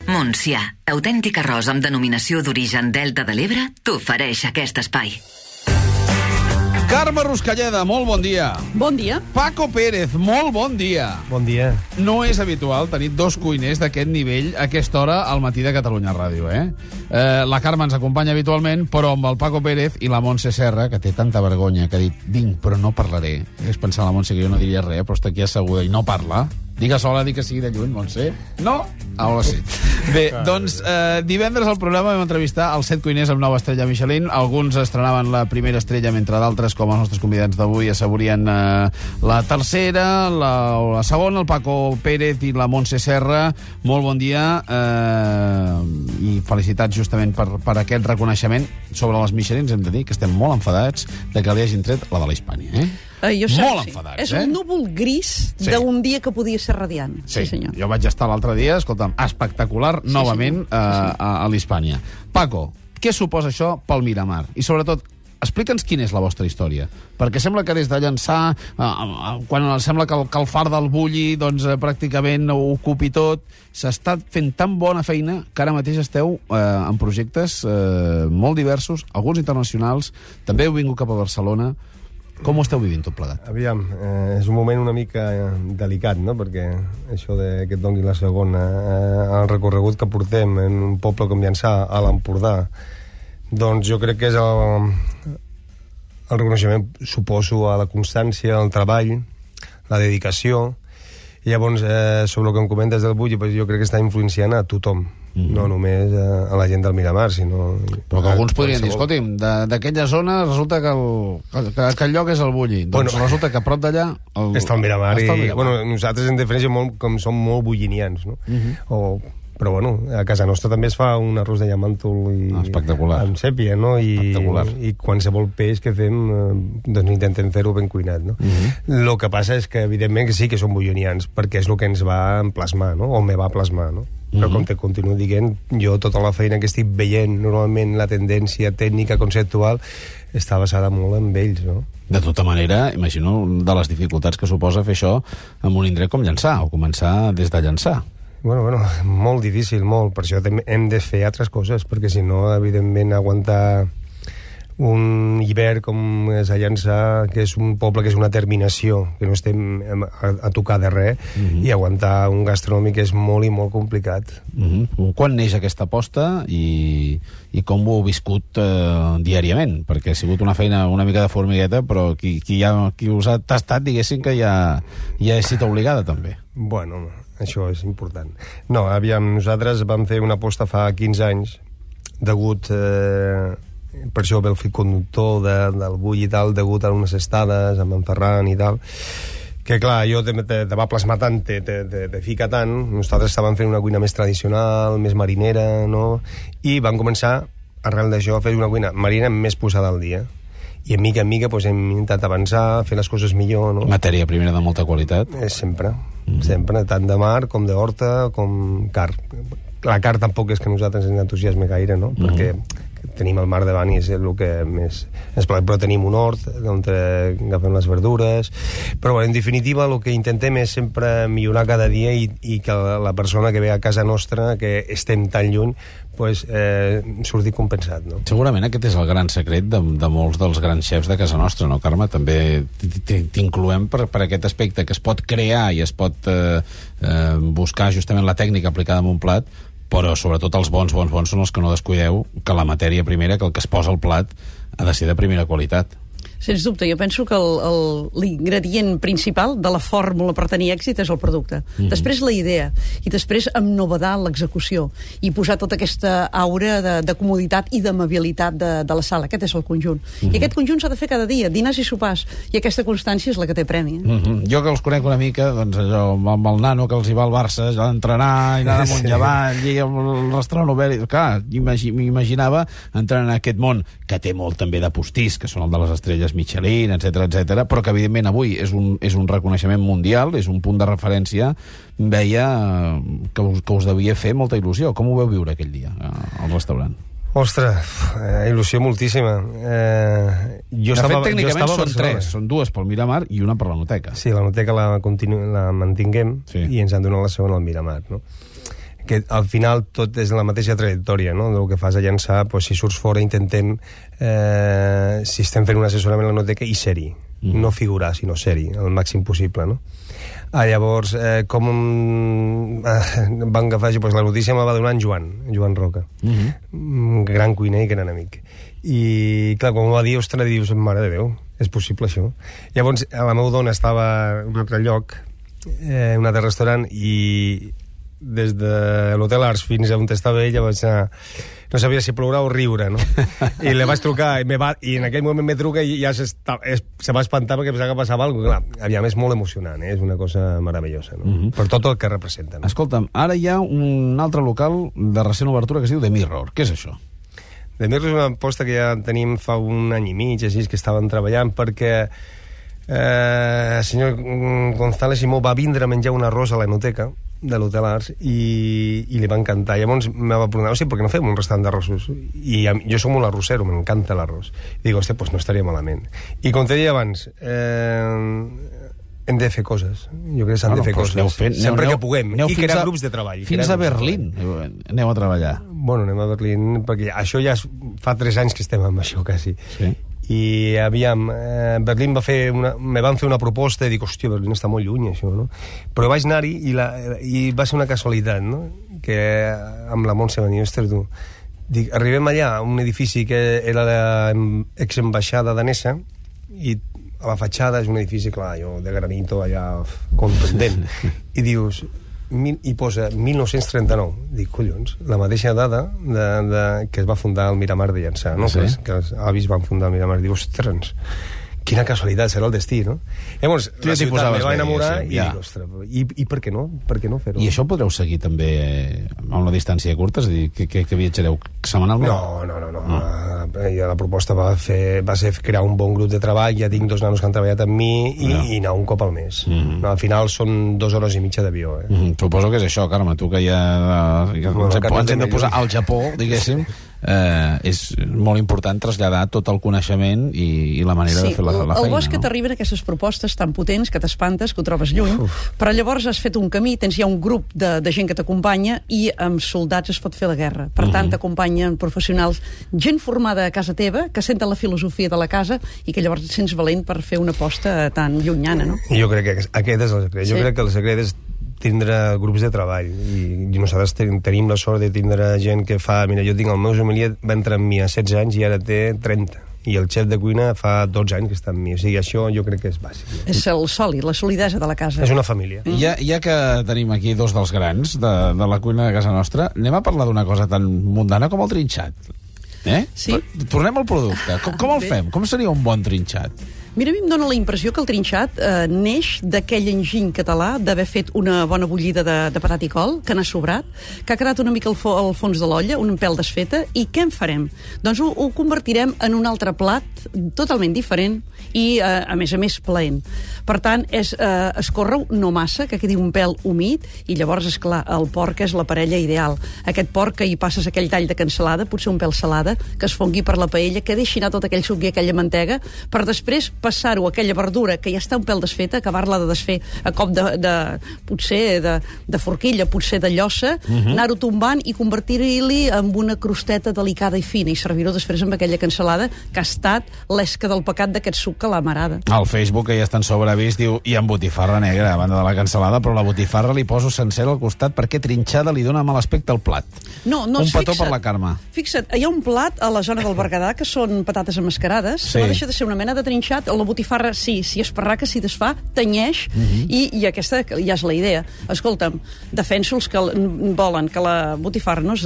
Montsià, autèntic arròs amb denominació d'origen Delta de l'Ebre, t'ofereix aquest espai. Carme Ruscalleda, molt bon dia. Bon dia. Paco Pérez, molt bon dia. Bon dia. No és habitual tenir dos cuiners d'aquest nivell a aquesta hora al matí de Catalunya Ràdio, La Carme ens acompanya habitualment, però amb el Paco Pérez i la Montse Serra, que té tanta vergonya, que ha dit, vinc, però no parlaré. És pensar la Montse que jo no diria res, però està aquí asseguda i no parla. Digue sola, digue sigui de lluny, Montse. No? Ara sí. Bé, doncs, divendres al programa vam entrevistar els 7 cuiners amb nova estrella Michelin. Alguns estrenaven la primera estrella, mentre d'altres, com els nostres convidats d'avui, assaborien la tercera, la segona, el Paco Pérez i la Montse Serra. Molt bon dia i felicitats justament per aquest reconeixement. Sobre les Michelins hem de dir que estem molt enfadats de que li hagin tret la de la Hispània, molt enfadats, És un núvol gris d'un dia que podia ser radiant. Sí, senyor. Jo vaig estar l'altre dia, escolta'm, espectacular, novament a l'Hispània. Paco, què suposa això pel Miramar? I sobretot, explica'ns quina és la vostra història. Perquè sembla que des de llançar, quan sembla que el far del Bulli doncs, pràcticament ho ocupi tot, s'està fent tan bona feina que ara mateix esteu en projectes molt diversos, alguns internacionals, també heu vingut cap a Barcelona. Com ho esteu vivint tot plegat? Aviam, és un moment una mica delicat, no?, perquè això de que et doni la segona, el recorregut que portem en un poble com Llançà, a l'Empordà, doncs jo crec que és el reconeixement, suposo, a la constància, al treball, la dedicació. I llavors, sobre el que em comentes del Bulli, jo crec que està influenciant a tothom. No només a la gent del Miramar, sinó... Però que alguns podrien dir, escolti'm, d'aquella zona resulta que el lloc és el Bulli. Doncs resulta que a prop d'allà... Està el Miramar. Nosaltres en diferència com som molt bullinians, no? Però bueno, a casa nostra també es fa un arròs de llamàntol amb sèpia, no? I qualsevol peix que fem, doncs intentem fer-ho ben cuinat, no? El que passa és que, evidentment, que sí que som bullinians, perquè és el que ens va plasmar, no? O me va plasmar, no? Però com te continuo dient, jo tota la feina que estic veient, normalment la tendència tècnica, conceptual, està basada molt en ells, no? De tota manera, imagino de les dificultats que suposa fer això en un indret com Llançà, o començar des de Llançà. Bueno, molt difícil, molt. Per això hem de fer altres coses, perquè si no, evidentment, aguantar un hivern com és a Llançà, que és un poble que és una terminació, que no estem a tocar de res, i aguantar un gastronòmic és molt i molt complicat. Quan neix aquesta aposta i com ho heu viscut diàriament? Perquè ha sigut una feina una mica de formigueta, però qui us ha tastat, diguéssim que ja és cita obligada, també. Bueno, això és important. No, aviam, nosaltres vam fer una aposta fa 15 anys, degut... per això ve el fil conductor del Bulli i tal, degut a unes estades amb en Ferran i tal, que clar, jo te va plasmar tant, te fica tant. Nosaltres estàvem fent una cuina més tradicional, més marinera, no? I vam començar, arrel d'això, a fer una cuina marina més posada al dia. I en mica hem intentat avançar, fer les coses millor, no? Matèria primera de molta qualitat. Sempre, tant de mar com d'horta, com carn. La carn tampoc és que a nosaltres ens entusiasme gaire, no? Perquè tenim el mar davant i és el que més ens plaï, però tenim un hort on agafem les verdures, però en definitiva el que intentem és sempre millorar cada dia i que la persona que ve a casa nostra, que estem tan lluny, pues, surti compensat, no? Segurament aquest és el gran secret de molts dels grans xefs de casa nostra, no, Carme? També t'incloem per aquest aspecte, que es pot crear i es pot buscar justament la tècnica aplicada en un plat, però sobretot els bons són els que no descuideu que la matèria primera, que el que es posa al plat ha de ser de primera qualitat. Sens dubte, jo penso que l'ingredient principal de la fórmula per tenir èxit és el producte. Després la idea, i després ennovedar l'execució, i posar tota aquesta aura de comoditat i d'amabilitat de la sala. Aquest és el conjunt. I aquest conjunt s'ha de fer cada dia, dinars i sopars, i aquesta constància és la que té premi. Jo que els conec una mica, doncs allò, amb el nano que els hi va al Barça, allò d'entrenar, i anar amunt i avall, i el restaurant obert, clar, m'imaginava entrar en aquest món, que té molt també de postís, que són el de les estrelles Michelin, etc, però que evidentment avui és un reconeixement mundial, és un punt de referència. Veia que us devia fer molta il·lusió. Com ho veu viure aquell dia al restaurant? Ostres, il·lusió moltíssima. De fet, tècnicament són 3, són 2 pel Miramar i una per la Noteca. Sí, la Noteca la mantinguem i ens han donat la segona al Miramar, no? que al final tot és la mateixa trajectòria, no? El que fas a llançar, si surts fora intentem, si estem fent un assessorament a la noteca, i ser-hi, no figurar, sinó ser-hi, el màxim possible, no? Llavors, com van agafar, la notícia me la va donar en Joan Roca, un gran cuiner i gran amic. I, clar, quan m'ho va dir, ostres, dius, mare de Déu, és possible això? Llavors, la meva dona estava en un altre lloc, un altre restaurant, i des de l'Hotel Ars fins a on estava ella vaig anar... No sabia si ploure o riure, no? I li vaig trucar, i en aquell moment me truca i ja se va espantar perquè pensava que passava alguna cosa. Clar, aviam, és molt emocionant, és una cosa meravellosa, no? Per tot el que representa. No? Escolta'm, ara hi ha un altre local de recent obertura que es diu The Mirror. Què és això? The Mirror és una aposta que ja tenim fa un any i mig, així, que estàvem treballant, perquè el senyor González Simó va vindre a menjar un arròs a l'Enoteca de l'Hotel Ars i li va encantar. Llavors me va preguntar, per què no fem un restaurant d'arrossos? I jo som un arrossero, m'encanta l'arròs. I dic, hòstia, doncs no estaria malament. I com t'he dit abans, hem de fer coses. Jo crec que s'han de fer coses. Sempre que puguem. I crear grups de treball. Fins a Berlín aneu a treballar. Bueno, anem a Berlín, perquè això ja fa 3 anys que estem amb això, quasi. Sí. I aviam, Berlín me van fer una proposta i dic, hòstia, Berlín està molt lluny, això, no? Però vaig anar-hi i va ser una casualitat, no? Que amb la Montse va dir, ostres, tu, dic, arribem allà a un edifici que era l'exambaixada danesa i a la fatxada és un edifici, clar, de granito allà contundent, i dius... i posa 1939. Dic, collons, la mateixa dada que es va fundar el Miramar de Llançà, no? Sí. Que els avis van fundar el Miramar. Diu, ostres, quina casualitat, serà el destí, no? Llavors, la ciutat me va enamorar i dic, ostres, i per què no? Per què no fer-ho? I això podreu seguir també a una distància curta? És a dir, que viatjareu setmanalment? No. La proposta va ser crear un bon grup de treball. Ja tinc 2 nanos que han treballat amb mi i anar un cop al mes. Al final són 2 hores i mitja d'avió. Suposo que és això, Carme, tu que ja ens hem de posar al Japó, diguéssim. És molt important traslladar tot el coneixement i la manera de fer la feina. El bo és que t'arriben aquestes propostes tan potents que t'espantes, que ho trobes lluny, però llavors has fet un camí, tens ja un grup de gent que t'acompanya i amb soldats es pot fer la guerra. Per tant, t'acompanyen professionals, gent formada a casa teva, que senten la filosofia de la casa i que llavors et sents valent per fer una aposta tan llunyana, no? Jo crec que aquest és el secret. Jo crec que el secret és tindre grups de treball i nosaltres tenim la sort de tindre gent que fa... Mira, jo tinc el meu sommelier, va entrar amb mi a 16 anys i ara té 30, i el xef de cuina fa 12 anys que està amb mi, o sigui, això jo crec que és bàsic. És el sòlid, la solidesa de la casa. És una família. Ja que tenim aquí 2 dels grans de la cuina de casa nostra, anem a parlar d'una cosa tan mundana com el trinxat. Sí. Tornem al producte. Com el fem? Com seria un bon trinxat? Mira, a mi em dóna la impressió que el trinxat neix d'aquell enginy català d'haver fet una bona bullida de patat i col, que n'ha sobrat, que ha quedat una mica al fons de l'olla, un pèl desfeta, i què en farem? Doncs ho convertirem en un altre plat totalment diferent i, a més, plaent. Per tant, és escórrer-ho no massa, que quedi un pèl humit, i llavors, esclar, el porc és la parella ideal. Aquest porc que hi passes aquell tall de cansalada, potser un pèl salada, que es fongui per la paella, que deixi anar tot aquell suc i aquella mantega, per després passar-ho a aquella verdura que ja està un pèl desfeta, acabar-la de desfer a cop potser de forquilla, potser de llossa, anar-ho tombant i convertir-li en una crosteta delicada i fina i servir-ho després amb aquella cansalada que ha estat l'esca del pecat d'aquest suc que l'ha amarada. Al Facebook, que ja estan sobreavís, diu, i amb botifarra negra, a banda de la cansalada, però la botifarra li poso sencera al costat perquè trinxada li dona mal aspecte al plat. No, un petó per la Carme. Fixa't, hi ha un plat a la zona del Berguedà que són patates emmascarades, que no deixa de ser una mena de trinxat. La botifarra, sí, si esparraca, si desfà, tenyeix, i aquesta ja és la idea. Escolta'm, defenso els que volen que la botifarra no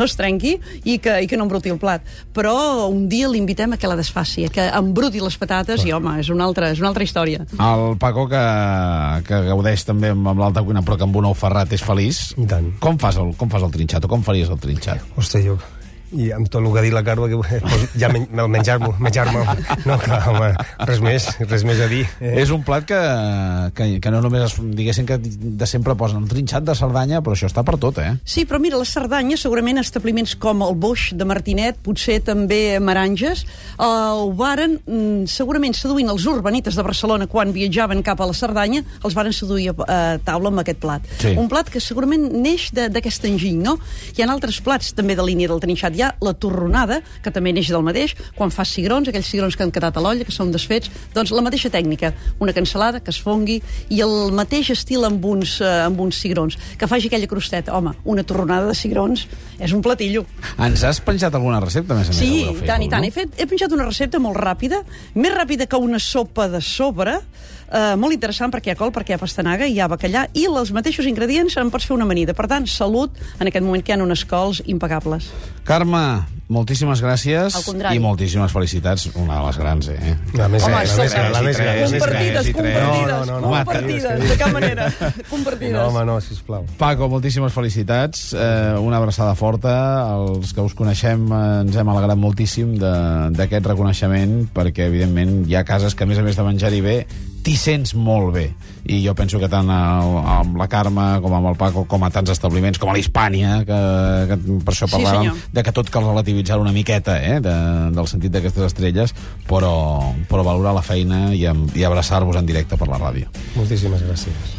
es trenqui i que no embruti el plat, però un dia l'invitem a que la desfaci, a que embruti les patates, i home, és una altra història. El Paco, que gaudeix també amb l'alta cuina, però que amb un ou ferrat és feliç. I tant. Com fas el trinxat, o com faries el trinxat? Hòstia, I amb tot el que ha dit la Carme, ja menjar-me. No, clar, home, res més a dir. És un plat que no només, diguéssim, que de sempre posen el trinxat de Cerdanya, però això està per tot, eh? Sí, però mira, la Cerdanya, segurament establiments com el Boix de Martinet, potser també Maranges, ho varen, segurament seduint els urbanites de Barcelona quan viatjaven cap a la Cerdanya, els varen seduir a taula amb aquest plat. Sí. Un plat que segurament neix d'aquest enginy, no? Hi ha altres plats també de línia del trinxat. Hi ha la torronada, que també neix del mateix, quan fas cigrons, aquells cigrons que han quedat a l'olla, que són desfets, doncs la mateixa tècnica, una cansalada que es fongui i el mateix estil amb uns cigrons, que faci aquella crosteta. Home, una torronada de cigrons és un platillo. Ens has penjat alguna recepta, més a més? Sí, tant i tant. He penjat una recepta molt ràpida, més ràpida que una sopa de sobre, molt interessant perquè hi ha col, perquè hi ha pastanaga, hi ha bacallà, i els mateixos ingredients en pots fer una amanida. Per tant, salut en aquest moment que hi ha unes cols impagables. Carme, moltíssimes gràcies i moltíssimes felicitats. Una de les grans, eh? La més gran. Compartides, de cap manera. Compartides. No, home, no, sisplau. Paco, moltíssimes felicitats. Una abraçada forta. Els que us coneixem ens hem alegrat moltíssim d'aquest reconeixement, perquè, evidentment, hi ha cases que, a més de menjar-hi bé, t'hi sents molt bé. I jo penso que tant amb la Carme com amb el Paco, com a tants establiments, com a l'Hispània, que per això parlàvem de que tot cal relativitzar una miqueta, del sentit d'aquestes estrelles, però valorar la feina i abraçar-vos en directe per la ràdio. Moltíssimes gràcies.